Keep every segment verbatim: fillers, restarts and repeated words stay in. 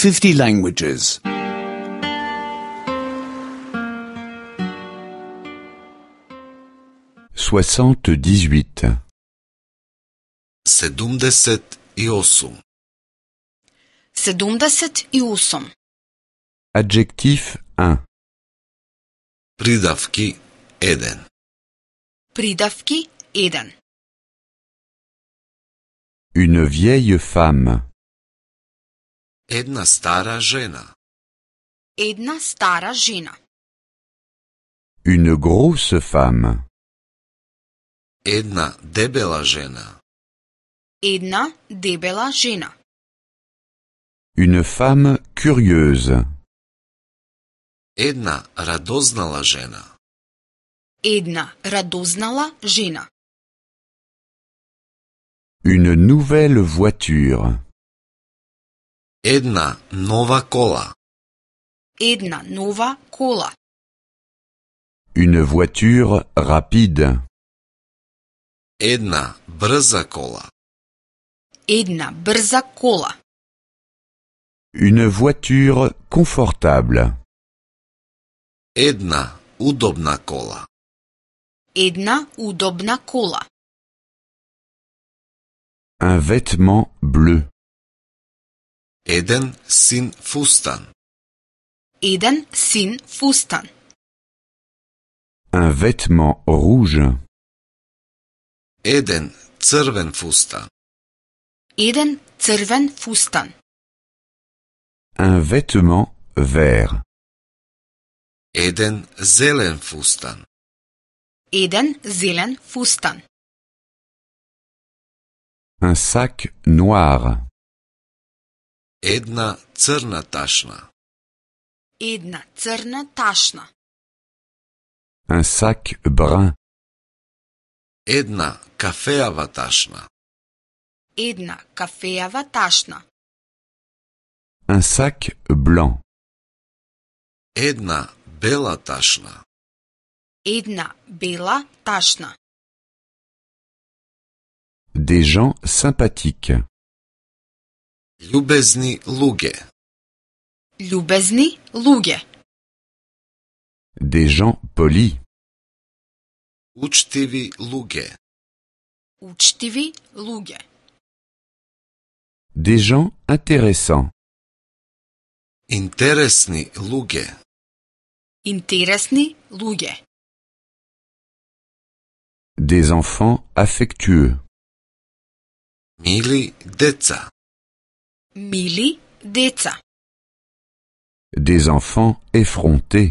fifty languages. soixante-dix-huit. sedumdeset i osam. sedumdeset i osam. Adjectif un. Pridavki eden. Pridavki eden. Une vieille femme. Една стара жена. Една stara žena. Une grosse femme. Една debela žena. Една debela žena. Une femme curieuse. Една radoznala žena. Една radoznala žena. Une nouvelle voiture. Една nova kola. Една nova kola. Une voiture rapide. Една brza kola. Една brza kola. Une voiture confortable. Една udobna kola. Една udobna kola. Un vêtement bleu. Еден син фустан. Един син фустан. Un vêtement rouge. Еден црвен фустан. Един црвен фустан. Un vêtement vert. Еден зелен фустан. Един зелен фустан. Un sac noir. Една црна ташна. Една црна ташна. Un sac brun. Една кафеава ташна. Една кафеава ташна. Un sac blanc. Една бела ташна. Една бела ташна. Des gens sympathiques. Љубезни луѓе. Љубезни луѓе. Des gens polis. Учтиви луѓе. Учтиви луѓе. Des gens intéressants. Интересни луѓе. Интересни луѓе. Des enfants affectueux. Мили деца. Мили деца. Des enfants effrontés.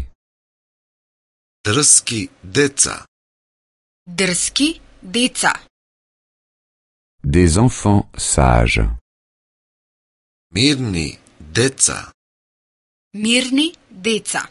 Дрски деца. Дрски деца. Des enfants sages. Мирни деца. Мирни деца.